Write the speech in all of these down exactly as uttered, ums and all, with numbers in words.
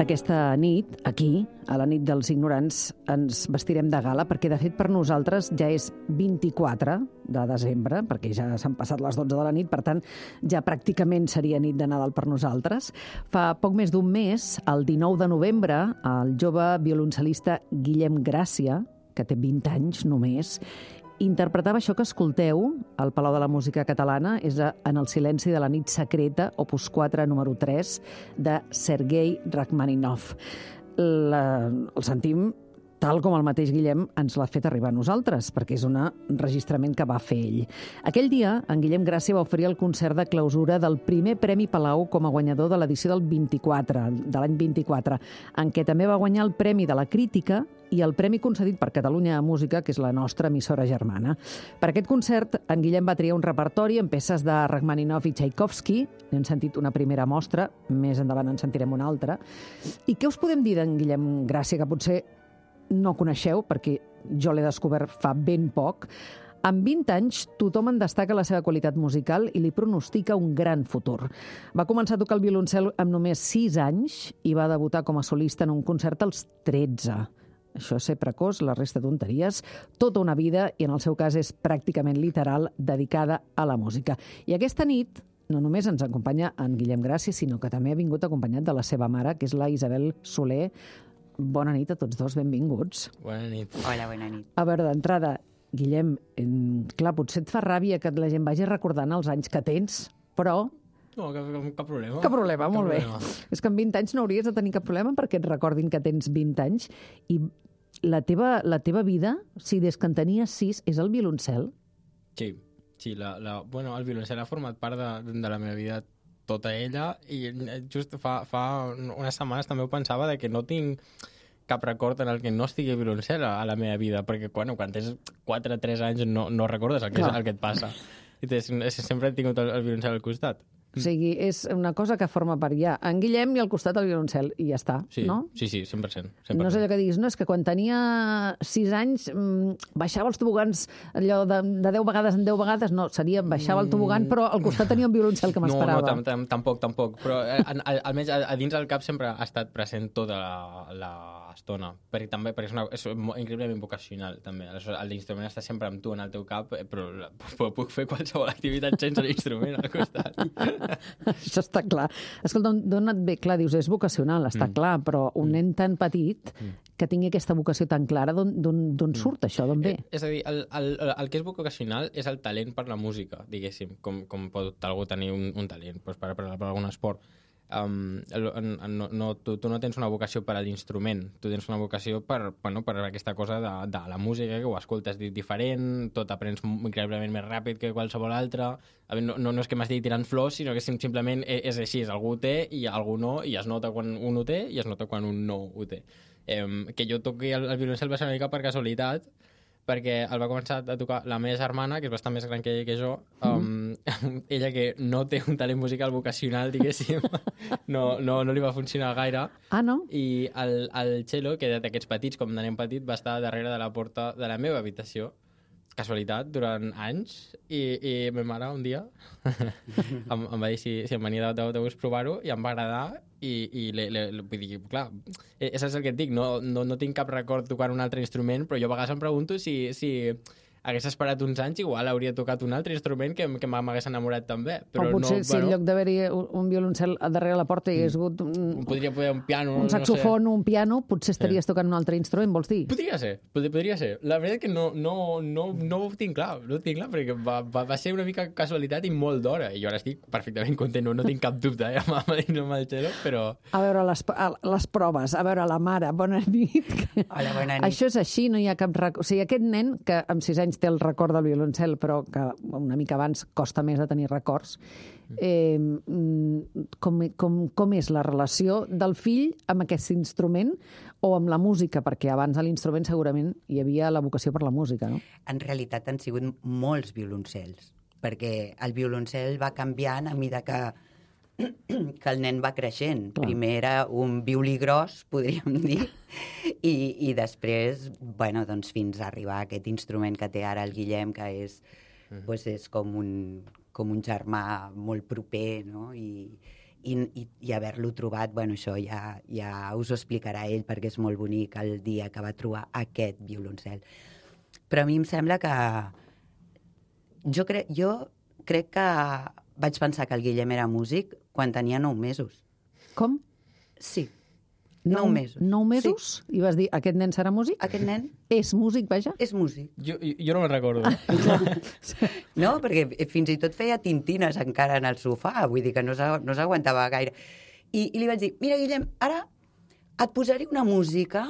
Aquesta nit, aquí, a la nit dels ignorants, ens vestirem de gala, perquè de fet per nosaltres ja és vint-i-quatre de desembre, perquè ja s'han passat les dotze de la nit, per tant ja pràcticament seria nit de Nadal per nosaltres. Fa poc més d'un mes, el dinou de novembre, el jove violoncel·lista Guillem Gràcia, que té vint anys només, interpretava això que escolteu al Palau de la Música Catalana, és En el silenci de la nit secreta, opus quatre, número tres, de Sergei Rachmaninov. La, el sentim tal com el mateix Guillem ens l'ha fet arribar a nosaltres, perquè és un enregistrament que va fer ell. Aquell dia, en Guillem Gràcia va oferir el concert de clausura del primer Premi Palau com a guanyador de l'edició del vint-i-quatre, de l'any vint-i-quatre, en què també va guanyar el Premi de la Crítica i el premi concedit per Catalunya a Música, que és la nostra emissora germana. Per aquest concert, en Guillem va triar un repertori amb peces de Rachmaninov i Tchaikovsky. N'hem sentit una primera mostra, més endavant en sentirem una altra. I què us podem dir d'en Guillem Gràcia, que potser no coneixeu, perquè jo l'he descobert fa ben poc? Amb vint anys, tothom en destaca la seva qualitat musical i li pronostica un gran futur. Va començar a tocar el violoncel amb només sis anys i va debutar com a solista en un concert als tretze. Això és ser precoç, la resta tonteries, tota una vida, i en el seu cas és pràcticament literal, dedicada a la música. I aquesta nit no només ens acompanya en Guillem Gràcia, sinó que també ha vingut acompanyat de la seva mare, que és la Isabel Soler. Bona nit a tots dos, benvinguts. Bona nit. Hola, bona nit. A veure, d'entrada, Guillem, clar, potser et fa ràbia que la gent vagi recordant els anys que tens, però... No, cap, cap problema. Cap problema, cap molt problema. bé. És que amb vint anys no hauries de tenir cap problema perquè et recordin que tens vint anys. I la teva, la teva vida, si des que en tenies sis, és el violoncel? Sí, sí la, la, bueno, el violoncel ha format part de, de la meva vida tota ella, i just fa, fa unes setmanes també ho pensava, de que no tinc cap record en el que no estigui violoncel a, a la meva vida, perquè bueno, quan tens quatre o tres anys no, no recordes el que, és, el que et passa. I tens, sempre he tingut el, el violoncel al costat. O sigui, és una cosa que forma part ja. En Guillem i al costat el violoncel, i ja està, sí, no? Sí, sí, cent per cent. cent per cent. No és allò que diguis, no, és que quan tenia sis anys mmm, baixava els tobogans allò de, de deu vegades en deu vegades, no, seria baixava el tobogan, però al costat tenia un violoncel que m'esperava. No, no, tam, tam, tampoc, tampoc, però eh, almenys a, a dins del cap sempre ha estat present tota l'estona, perquè també perquè és, una, és increïblement vocacional, també. L'instrument està sempre amb tu en el teu cap, però, però puc fer qualsevol activitat sense l'instrument al costat. Això està clar. Escolta, d'on et ve? Clar, dius, és vocacional, està mm. clar, però un nen tan petit mm. que tingui aquesta vocació tan clara, d'on surt això, d'on ve? Eh, és a dir, el, el, el que és vocacional és el talent per la música, diguéssim, com, com pot algú tenir un, un talent doncs per, per, per algun esport. Um, no, no, tu, tu no tens una vocació per a l'instrument, tu tens una vocació per, bueno, per aquesta cosa de, de la música, que ho escoltes diferent, tot aprens increïblement més ràpid que qualsevol altre. A veure, no, no, no és que m'estigui tirant flors, sinó que simplement és, és així, algú ho té i algú no, i es nota quan un ho té i es nota quan un no ho té. Um, que jo toqui el, el violoncel va ser una mica per casualitat, perquè el va començar a tocar la meva germana, que és bastant més gran que, que jo, um, mm. ella que no té un talent musical vocacional, diguéssim, no, no, no li va funcionar gaire. Ah, no? I el, el cello, que d'aquests petits, com de nen petit, va estar darrere de la porta de la meva habitació, casualitat, durant anys, i, i ma mare un dia em, em va dir si, si em venia de, de, de gust provar-ho, i em va agradar, i, i le, le, le, vull dir, clar, és el que et dic, no, no, no tinc cap record tocant un altre instrument, però jo a vegades em pregunto si, si hagués esperat uns anys, igual hauria tocat un altre instrument que, que m'hagués enamorat també. Però o potser no, si bueno, en lloc d'haver-hi un violoncel darrere la porta hi hagués hagut un, podria poder un piano, un saxofon o no sé. un piano, potser estaries sí. tocant un altre instrument, vols dir? Podria ser, pod podria ser. La veritat que no, no, no, no ho tinc clar, no ho tinc clar, perquè va, va, va ser una mica casualitat i molt d'hora, i jo ara estic perfectament content, no, no tinc cap dubte, eh, amb el, amb el cello, però... A veure, les, les proves, a veure, la mare, bona nit. Hola, bona nit. Això és així, no hi ha cap record. O sigui, aquest nen, que amb sis anys té el record del violoncel, però que una mica abans costa més de tenir records, eh, com, com, com és la relació del fill amb aquest instrument o amb la música? Perquè abans a l'instrument segurament hi havia la vocació per la música, no? En realitat han sigut molts violoncels, perquè el violoncel va canviant a mesura que que el nen va creixent. Clar. Primer era un violí gros, podríem dir, i, i després, bueno, doncs fins a arribar a aquest instrument que té ara el Guillem, que és, mm. pues és com, un, com un germà molt proper, no? I, i, i, i haver-lo trobat, bueno, això ja, ja us ho explicarà ell, perquè és molt bonic el dia que va trobar aquest violoncel. Però a mi em sembla que... Jo, cre... jo crec que vaig pensar que el Guillem era músic quan tenia nou mesos. Com? Sí, nou, nou mesos. Nou mesos? Sí. I vas dir, aquest nen serà músic? Aquest nen... És músic, vaja? És músic. Jo, jo no me'n recordo. No, perquè fins i tot feia tintines encara en el sofà, vull dir que no s'aguantava gaire. I, I li vaig dir, mira, Guillem, ara et posaré una música,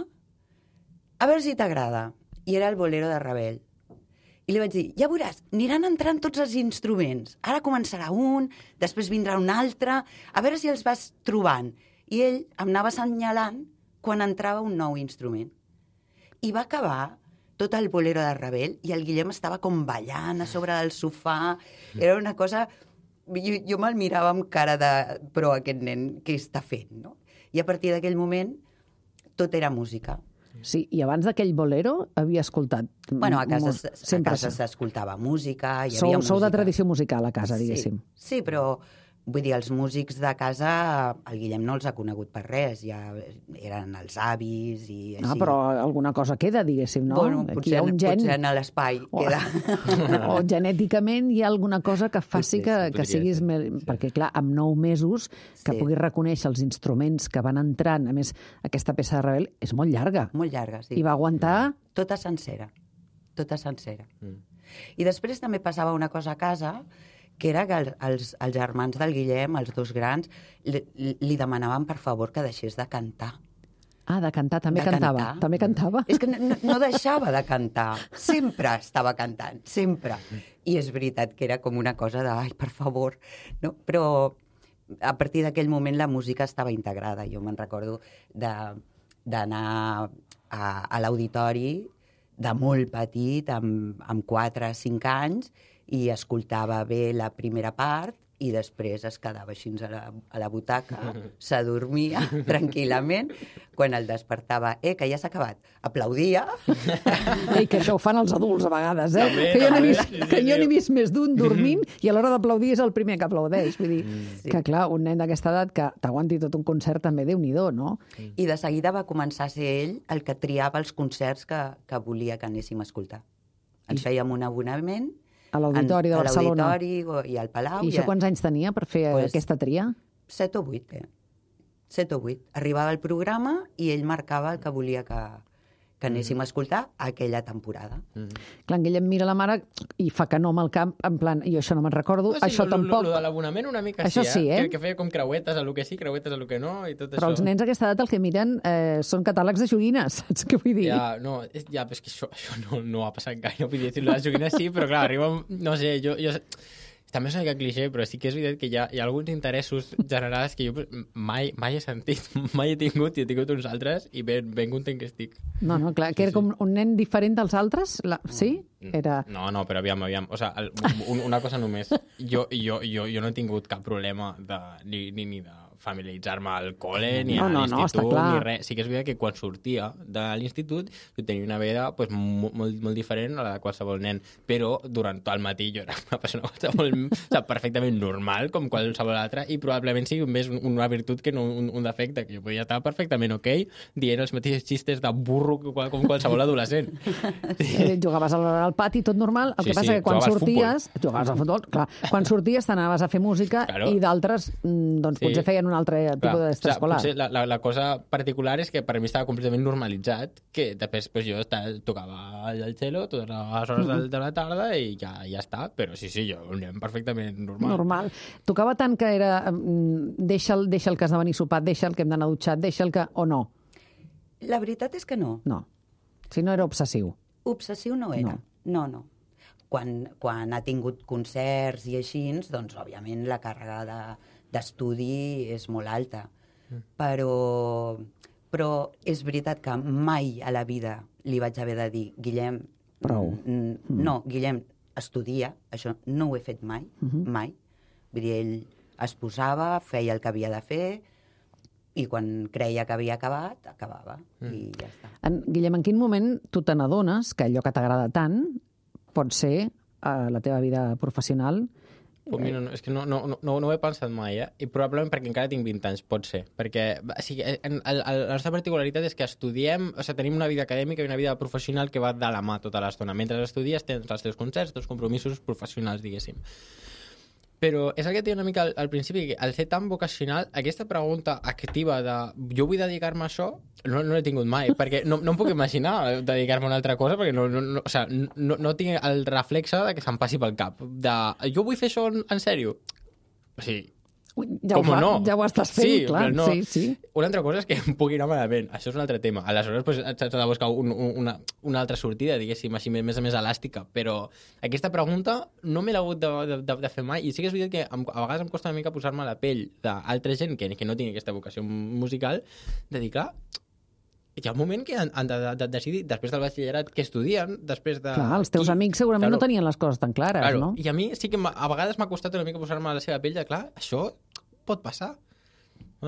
a veure si t'agrada. I era el bolero de Ravel. I li vaig dir, ja veuràs, aniran entrant tots els instruments. Ara començarà un, després vindrà un altre, a veure si els vas trobant. I ell em anava assenyalant quan entrava un nou instrument. I va acabar tot el bolero de Ravel i el Guillem estava com ballant a sobre del sofà. Era una cosa... Jo, jo me'l mirava amb cara de... Però aquest nen, què està fent, no? I a partir d'aquell moment, tot era música. Sí, i abans d'aquell bolero havia escoltat... Bueno, a casa, molt... a casa s'escoltava música, hi sou, havia música. Sou de tradició musical a casa, diguéssim. Sí, sí, però... Vull dir, els músics de casa, el Guillem no els ha conegut per res, ja eren els avis i així. Ah, però alguna cosa queda, diguéssim, no? Bueno, potser, hi ha un gen... potser en l'espai o... queda. O genèticament hi ha alguna cosa que faci que, que siguis... Més... Sí. Perquè, clar, amb nou mesos, que Sí. puguis reconèixer els instruments que van entrant, a més, aquesta peça de Ravel és molt llarga. Molt llarga, sí. I va aguantar... Tota sencera. Tota sencera. Mm. I després també passava una cosa a casa, que era que els, els, els germans del Guillem, els dos grans, li, li demanaven per favor que deixés de cantar. Ah, de cantar, també De cantava. cantar. També cantava. És que no, no deixava de cantar. Sempre estava cantant, sempre. I és veritat que era com una cosa de, ai, per favor. No? Però a partir d'aquell moment la música estava integrada. Jo me'n recordo d'anar a, a l'auditori de molt petit, amb, amb quatre o cinc anys, i escoltava bé la primera part i després es quedava així a la, a la butaca, s'adormia tranquil·lament. Quan el despertava, eh, que ja s'ha acabat, aplaudia. Ei, que això ho fan els adults a vegades, eh? També, que jo n'he també, vist, sí, sí, que jo sí. n'he vist més d'un dormint i a l'hora d'aplaudir és el primer que aplaudeix. Vull dir, Sí. que clar, un nen d'aquesta edat que t'aguanti tot un concert també, Déu-n'hi-do, no? I de seguida va començar a ser ell el que triava els concerts que, que volia que anéssim a escoltar. Ens fèiem un abonament A l'Auditori de en- Barcelona. A l'Auditori i al Palau. I això quants anys tenia per fer Pues- aquesta tria? Set o vuit, eh? Set o vuit. Arribava el programa i ell marcava el que volia que, que anéssim a escoltar aquella temporada. Clar, en Guillem mira la mare i fa que no amb el camp, en plan, jo això no me'n recordo, No, sí, això lo, tampoc. Lo, lo de l'abonament una mica Això sí, eh? Que, que feia com creuetes a lo que sí, creuetes a lo que no, i tot Però això. els nens a aquesta edat el que miren eh, són catàlegs de joguines, saps què vull dir? Ja, no, és, ja, però és que això, això no, no ha passat gaire. Vull dir, les joguines sí, però clar, arriba... un- No sé, jo... jo també és una mica cliché, però sí que és veritat que hi ha, hi ha alguns interessos generals que jo pues, mai, mai he sentit, mai he tingut, i he tingut uns altres, i ben, ben content que estic. No, no, clar, que era com un nen diferent dels altres? La... Sí? Era... No, no, però aviam, aviam. O sea, el, un, una cosa només. Jo, jo, jo, jo no he tingut cap problema de, ni, ni, ni de familiaritzar-me al col·le, ni No, a no, no, està l'institut, clar. ni res. Sí que és veritat que quan sortia de l'institut jo tenia una vida pues, molt, molt, molt diferent a la de qualsevol nen, però durant tot el matí jo era una persona qualsevol, o sigui, perfectament normal, com qualsevol altra, i probablement sigui més una virtut que no un, un defecte, que jo podia estar perfectament ok dient els mateixos xistes de burro que qual- com qualsevol adolescent. Eh, jugaves al, al pati, tot normal. El Sí, que passa sí, que quan jugaves al sorties... Jugaves al futbol, clar. Quan sorties t'anaves a fer música Claro. i d'altres, mm, doncs, Sí. potser feien un altre tipus Clar, d'extraescolar. potser la, la, la cosa particular és que per mi estava completament normalitzat, que després pues, jo estava, tocava el cello totes les hores de, de la tarda i ja, ja està, però sí, sí, jo un nen perfectament normal. Normal. Tocava tant que era mm, deixa'l, deixa'l que has de venir sopat, deixa'l que hem d'anar dutxat, deixa'l que... o no? La veritat és que no. No. Si no era obsessiu. Obsessiu no era. No, no. no. Quan, quan ha tingut concerts i així, doncs, òbviament, la càrrega de, d'estudi és molt alta. Mm. Però, però és veritat que mai a la vida li vaig haver de dir, Guillem, Prou. mm, no, Guillem, estudia, això no ho he fet mai, Mhm. mai. Vull dir, ell es posava, feia el que havia de fer, i quan creia que havia acabat, acabava, mm. i ja està. En, Guillem, en quin moment tu te n'adones que allò que t'agrada tant pot ser a la teva vida professional Pues mira, no, és que no, no, no, no ho he pensat mai, eh? I probablement perquè encara tinc vint anys, pot ser. Perquè o sigui, en, el, el, la nostra particularitat és que estudiem, o sigui, tenim una vida acadèmica i una vida professional que va de la mà tota l'estona. Mentre estudies tens els teus concerts, els teus compromisos professionals, diguéssim. Però és el que et deia una mica al, al principi, que al ser tan vocacional, aquesta pregunta activa de jo vull dedicar-me a això, no, no l'he tingut mai, perquè no, no em puc imaginar dedicar-me a una altra cosa, perquè no, no, no, o sigui, no, no tinc el reflexe de que se'm passi pel cap. De, jo vull fer això en, en sèrio? O sigui, Ui, ja, ho fa, no? ja ho estàs fent, sí, clar. No. Sí, sí. Una altra cosa és que em pugui anar malament. Això és un altre tema. Aleshores, pues, s'ha de buscar un, un, una, una altra sortida, diguéssim, així més més elàstica. Però aquesta pregunta no me l'he hagut de, de, de, de fer mai. I sí que és veritat que em, a vegades em costa una mica posar-me a la pell d'altra gent que, que no tingui aquesta vocació musical, de dir, clar, hi ha un moment que han, han de, de, de decidir, després del batxillerat, què estudien, després de... Clar, els teus qui... amics segurament claro. no tenien les coses tan clares, claro. no? I a mi sí que a vegades m'ha costat una mica posar-me a la seva pell de, clar, això pot passar.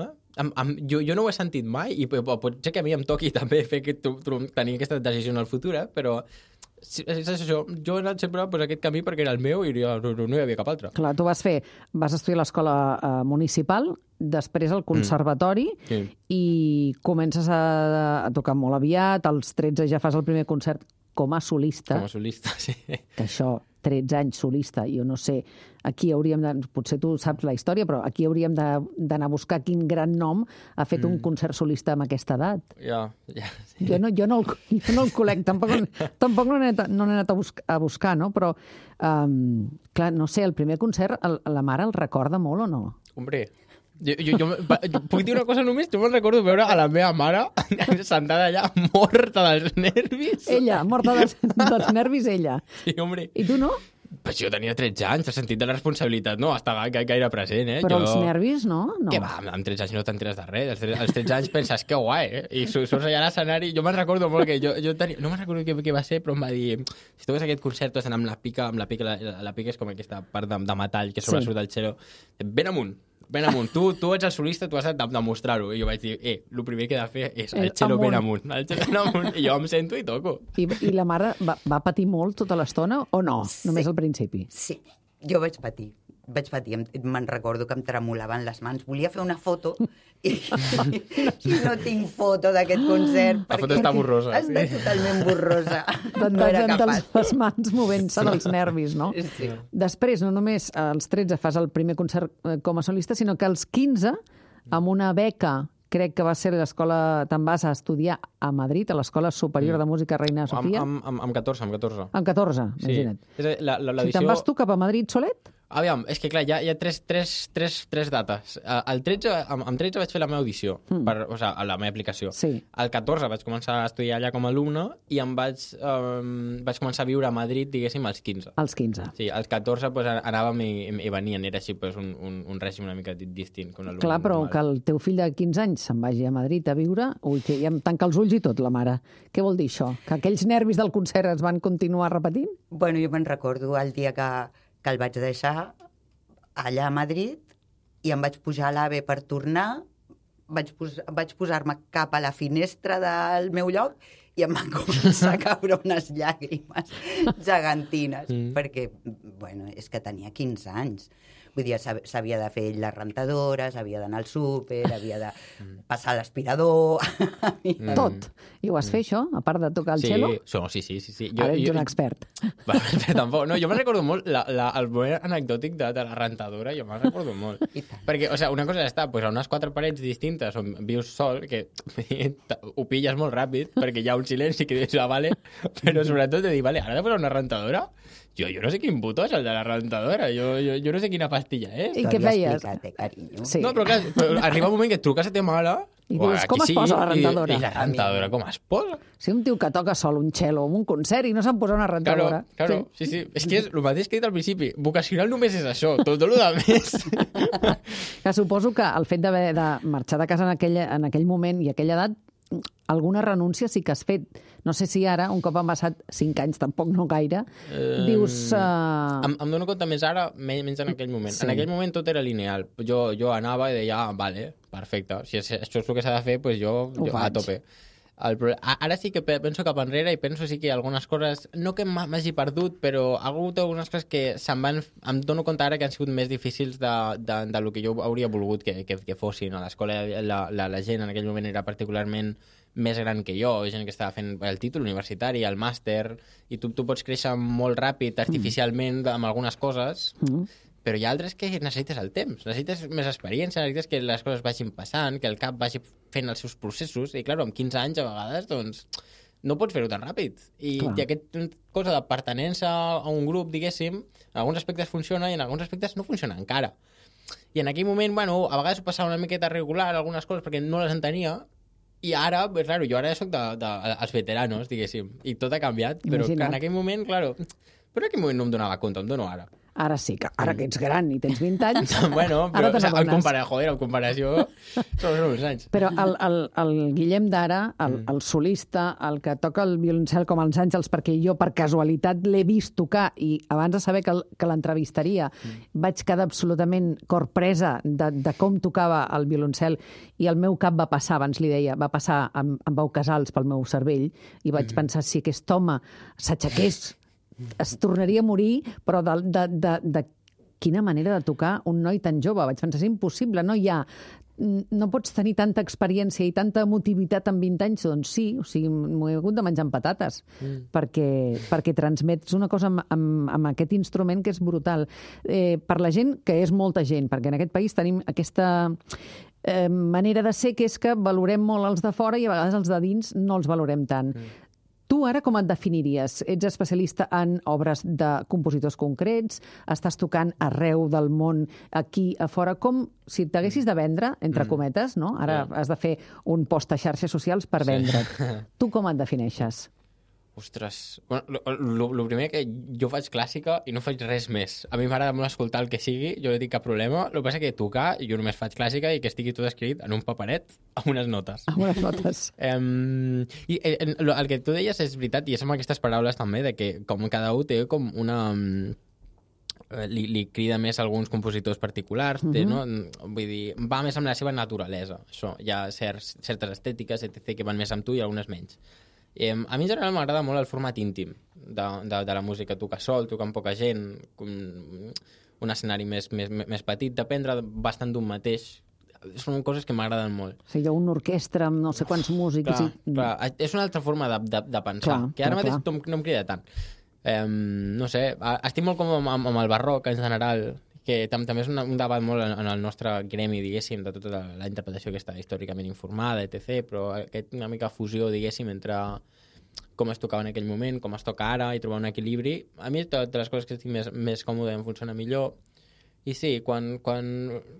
Eh? Am, am, jo, jo no ho he sentit mai i pot ser que a mi em toqui també fer que tu, tu, tenir aquesta decisió en el futur, eh? Però és, és això. Jo he anat sempre per aquest camí perquè era el meu i no, no, no hi havia cap altre. Clar, tu vas fer, vas estudiar a l'escola eh, municipal, després al conservatori mm. sí. i comences a, a tocar molt aviat, als tretze ja fas el primer concert com a solista. Com a solista, sí. Que això, tretze anys solista, jo no sé, aquí hauríem de... Potser tu saps la història, però aquí hauríem d'anar a buscar quin gran nom ha fet mm. un concert solista amb aquesta edat. Ja, ja. Sí. Jo no, jo no, el, jo no el col·lec, tampoc, tampoc no n'he anat, no n'he anat a, buscar, a buscar, no? Però, um, clar, no sé, el primer concert, el, la mare el recorda molt o no? Hombre, jo, jo, jo, jo puc dir una cosa només? Jo me'n recordo veure a la meva mare sentada allà, morta dels nervis. Ella, morta dels, dels nervis, ella. Sí, hombre. I tu no? Pues jo tenia tretze anys, el sentit de la responsabilitat no estava gaire present, eh? Però jo... els nervis, no? no. Que va, amb tretze anys no t'enteres de res. Als tretze anys penses, que guai, eh? I surts allà a l'escenari. Jo me'n recordo molt que jo, jo tenia... No me'n recordo què, què va ser, però em va dir... Si tu ves aquest concert, tu has d'anar amb la pica, amb la pica, la, la pica és com aquesta part de, de metall que sobresurt del xelo. Ben amunt, ben amunt. Tu, tu ets el solista, tu has de demostrar-ho. I jo vaig dir, eh, el primer que he de fer és el xelo ben amunt. El xelo ben amunt. I jo em sento i toco. I, i la mare va, va patir molt tota l'estona o no? Sí. Només al principi? Sí, jo vaig patir. Vaig patir, me'n recordo que em tremolaven les mans. Volia fer una foto i, i no tinc foto d'aquest concert. La foto està borrosa. Està sí. totalment borrosa. No era capaç. Les mans movent-se dels nervis, no? Sí. Després, no només als tretze fas el primer concert com a solista, sinó que als quinze, amb una beca, crec que va ser l'escola, te'n vas a estudiar a Madrid, a l'Escola Superior de Música Reina Sofia. Amb, amb, amb catorze, amb catorze. Amb catorze, sí. imagina't. La, la, si te'n vas tu cap a Madrid solet? Aviam, és que clar, hi ha, hi ha tres, tres, tres, tres dates. El tretze, amb, amb tretze vaig fer la meva audició, mm. per, o sigui, a la meva aplicació. Sí. El catorze vaig començar a estudiar allà com a alumne i em vaig, um, vaig començar a viure a Madrid, diguéssim, als quinze. Als quinze. Sí, als catorze pues, anàvem i, i venien, era així pues, un, un, un règim una mica distint. Com clar, però normal. Que el teu fill de quinze anys se'n vagi a Madrid a viure, ui, que ja em tanca els ulls i tot, la mare. Què vol dir això? Que aquells nervis del concert es van continuar repetint? Bueno, jo me'n recordo el dia que, que el vaig deixar allà a Madrid i em vaig pujar a l'AVE per tornar, vaig, pos vaig posar-me cap a la finestra del meu lloc i em van començar a caure unes llàgrimes gegantines, mm. perquè, bueno, és que tenia quinze anys. Vull dir, s'havia de fer la rentadora, s'havia d'anar al súper, havia de passar l'aspirador... Mm. Tot. I ho vas fer, això, a part de tocar el sí, cello? Sí, sí, sí. sí. Jo, Ara ets jo, un expert. Va, tampoc. No, jo me'n recordo molt la, la, el moment anecdòtic de, de la rentadora, jo me'n recordo molt. Perquè, o sigui, una cosa és estar pues, a unes quatre parets distintes on vius sol, que ho pilles molt ràpid, perquè hi ha un silenci que dius, ah, vale, però sobretot de dir, vale, ara he de posar una rentadora? Jo, jo no sé quin botó és el de la rentadora, jo, jo, jo no sé quina pastilla és. I què feies? Sí. No, però clar, però arriba un moment que et truques a ta mare... I dius, com es posa la rentadora? I, i la rentadora, com es posa? Si un tio que toca sol un cello o un concert i no se'n posa una rentadora. Claro, claro, sí, sí. sí. És que és el mateix que he dit al principi. Vocacional només és això, tot el de més. Que suposo que el fet d'haver de marxar de casa en aquell, en aquell moment i aquella edat, alguna renúncia sí que has fet. No sé si ara, un cop han passat cinc anys, tampoc no gaire, eh, dius... Uh... Em, em dono compte més ara, menys en aquell moment. Sí. En aquell moment tot era lineal. Jo, jo anava i deia, ah, vale, perfecte. Si és, això és el que s'ha de fer, doncs jo, jo a tope. El pro... Ara sí que penso cap enrere i penso sí que algunes coses, no que m'hagi perdut, però ha hagut algunes coses que se'n van... Em dono compte ara que han sigut més difícils de, de, de lo que jo hauria volgut que, que, que fossin. A l'escola la, la, la gent en aquell moment era particularment més gran que jo, gent que estava fent el títol universitari, el màster, i tu, tu pots créixer molt ràpid, artificialment, mm. amb algunes coses, mm. però hi ha altres que necessites el temps, necessites més experiència, necessites que les coses vagin passant, que el cap vagi fent els seus processos, i clar, amb quinze anys a vegades, doncs, no pots fer-ho tan ràpid. I, i aquesta cosa de pertenença a un grup, diguéssim, en alguns aspectes funciona i en alguns aspectes no funciona encara. I en aquell moment, bueno, a vegades ho passava una miqueta regular, algunes coses, perquè no les entenia, i ara, pues, claro, jo ara soc de, de, els veteranos, diguéssim, i tot ha canviat, però que en aquell moment, claro, però en aquell moment no em donava compte, em dono ara. Ara sí, que ara que ets gran i tens vint anys, bueno, però, ara te n'adones. Compara, joder, en comparació són uns anys. Però el, el, el Guillem d'ara, el, el solista, el que toca el violoncel com els Àngels, perquè jo per casualitat l'he vist tocar i abans de saber que, que l'entrevistaria mm. vaig quedar absolutament corpresa de, de com tocava el violoncel i el meu cap va passar, abans li deia, va passar amb, amb Pau Casals pel meu cervell i vaig mm. pensar, si aquest home s'aixequés es tornaria a morir, però de, de, de, de quina manera de tocar un noi tan jove. Vaig pensar, és impossible, no hi ha... No pots tenir tanta experiència i tanta emotivitat en vint anys, doncs sí, o sigui, m'ho he hagut de menjar amb patates, mm. perquè, perquè transmets una cosa amb, amb, amb aquest instrument que és brutal. Eh, per la gent, que és molta gent, perquè en aquest país tenim aquesta eh, manera de ser, que és que valorem molt els de fora i a vegades els de dins no els valorem tant. Mm. Tu ara com et definiries? Ets especialista en obres de compositors concrets? Estàs tocant arreu del món, aquí, a fora? Com, si t'haguessis de vendre, entre cometes, no? Ara yeah. has de fer un post a xarxes socials per vendre't. Sí. Tu com et defineixes? Ostres, bueno, el primer que jo faig clàssica i no faig res més. A mi m'agrada molt escoltar el que sigui, jo no tinc cap problema. El que passa és que tocar, jo només faig clàssica i que estigui tot escrit en un paperet amb unes notes. Amb unes notes. um, I el, el que tu deies és veritat, i és amb aquestes paraules també, de que com cada un té com una... Li, li crida més a alguns compositors particulars, té, uh-huh. no? Vull dir, va més amb la seva naturalesa, això. Hi ha certs, certes estètiques, etcètera, que van més amb tu i algunes menys. Eh, a mi en general m'agrada molt el format íntim de, de, de la música, tocar sol, tocar amb poca gent, un escenari més, més, més petit, dependre bastant d'un mateix. Són coses que m'agraden molt. O sigui, hi ha una orquestra amb no sé quants músics. Clar, i... clar, és una altra forma de, de, de pensar, clar, que ara clar, mateix clar. no em crida tant. Eh, no sé, estic molt com amb, amb el barroc en general, que tam també és un, un debat molt en, en el nostre gremi, diguéssim, de tota la, la interpretació que està històricament informada, etcètera, però aquest, una mica fusió, diguéssim, entre com es tocava en aquell moment, com es toca ara, i trobar un equilibri. A mi, de les coses que estic més, més còmode em funciona millor. I sí, quan, quan,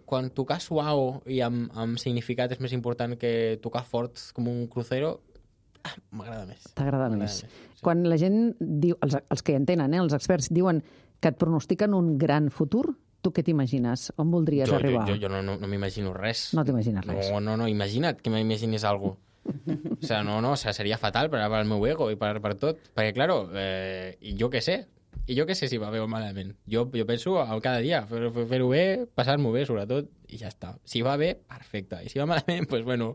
quan tocar suau i amb, amb significat és més important que tocar fort com un crucero, ah, m'agrada més. T'agrada més. més. Sí. Quan la gent diu, els, els que hi entenen, eh, els experts, diuen que et pronostiquen un gran futur, tu què t'imagines? On voldries jo, arribar? Jo, jo, jo no, no, no m'imagino res. No t'imagines res? No, no, no, imagina't que m'imaginis alguna cosa. O sea, no, no, o sea, seria fatal per, per al meu ego i per, per tot. Perquè, claro, eh, i jo què sé? I jo què sé si va bé o malament? Jo, jo penso a cada dia, fer-ho fer bé, passar-m'ho bé, sobretot, i ja està. Si va bé, perfecte. I si va malament, doncs, pues, bueno,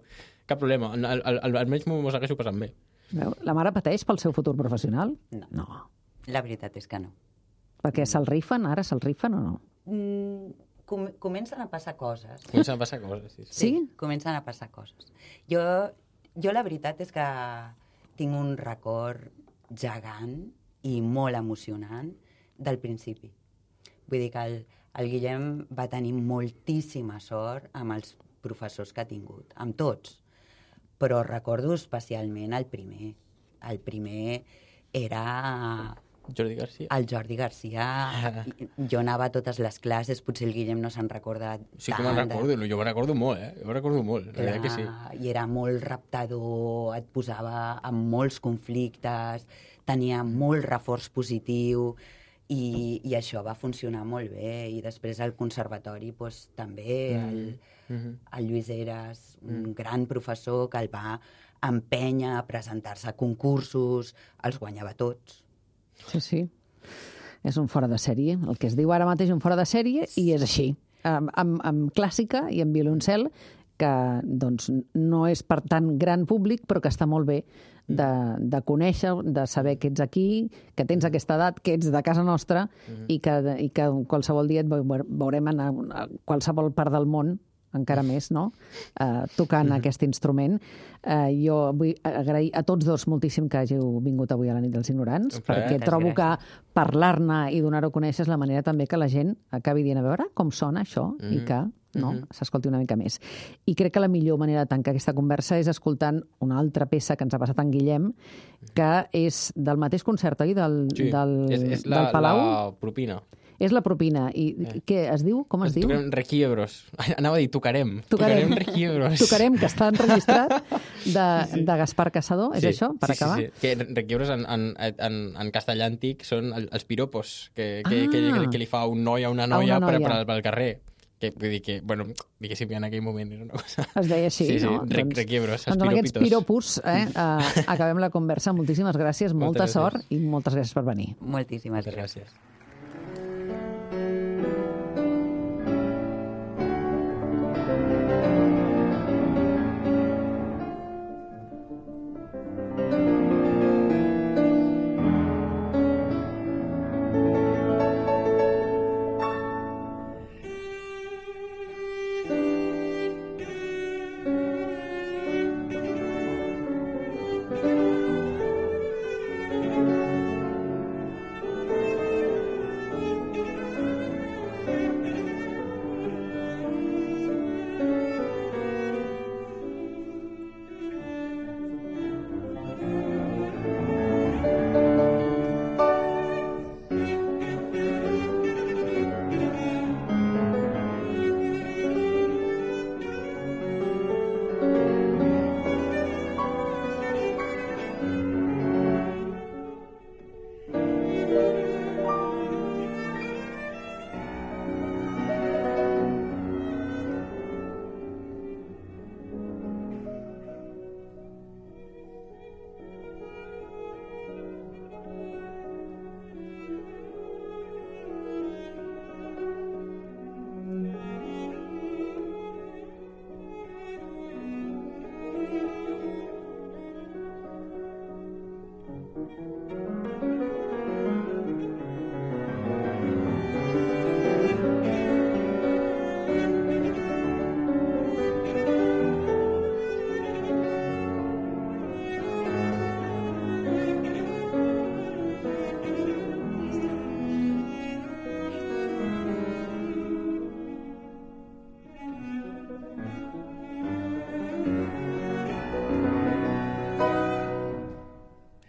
cap problema. Al, al, almenys m'ho segueixo passant bé. Veu? La mare pateix pel seu futur professional? No. no. La veritat és que no. Perquè se'l rifen? Ara se'l rifen o no? Mm, com, comencen a passar coses. Comencen a passar coses, sí. Sí? Sí, comencen a passar coses. Jo, jo la veritat és que tinc un record gegant i molt emocionant del principi. Vull dir que el, el Guillem va tenir moltíssima sort amb els professors que ha tingut, amb tots. Però recordo especialment el primer. El primer era... Jordi Garcia. El Jordi Garcia. Jo anava a totes les classes, potser el Guillem no se'n recorda tant. Sí que me'n recordo, jo me'n recordo molt, eh? Jo me'n recordo molt, la veritat que sí. I era molt raptador, et posava en molts conflictes, tenia molt reforç positiu i, i això va funcionar molt bé. I després al conservatori doncs, també el, mm-hmm. el Lluís Heras, un mm. gran professor que el va empènyer a presentar-se a concursos, els guanyava tots. Sí, sí. És un fora de sèrie. El que es diu ara mateix un fora de sèrie i és així. Amb, amb, amb clàssica i amb violoncel que doncs, no és per tant gran públic, però que està molt bé de, de conèixer, de saber que ets aquí, que tens aquesta edat, que ets de casa nostra mm. i, que, i que qualsevol dia et veurem anar a qualsevol part del món, encara més, no?, uh, tocant mm-hmm. aquest instrument. Uh, jo vull agrair a tots dos moltíssim que hàgiu vingut avui a la nit dels ignorants, okay, perquè trobo gràcies. Que parlar-ne i donar-ho a conèixer és la manera també que la gent acabi dient a veure com sona això mm-hmm. i que no, mm-hmm. s'escolti una mica més. I crec que la millor manera de tancar aquesta conversa és escoltant una altra peça que ens ha passat en Guillem, que és del mateix concert, oi? Del, sí, del, és, és la, del Palau. la propina. És la propina. I eh. què es diu? Com es tocarem diu? Requiebros. Anava a dir tocarem. Tocarem, tocarem Requiebros. Tocarem, que està enregistrat, de, sí, sí. de Gaspar Casado. És sí, això, per sí, acabar? Sí, sí. Que Requiebros en, en, en, en castellà antic són els piropos que, que, ah. que, que, que li fa un noi a una noia, a una noia. Per, per, pel carrer. Que vull dir que, bueno, diguéssim que en aquell moment era una cosa... Es deia així, sí, sí, no? Re, doncs, requiebros, doncs amb aquests piropos eh, uh, acabem la conversa. Moltíssimes gràcies, molta moltes sort gràcies. i moltes gràcies per venir. Moltíssimes moltes gràcies. gràcies. Thank you.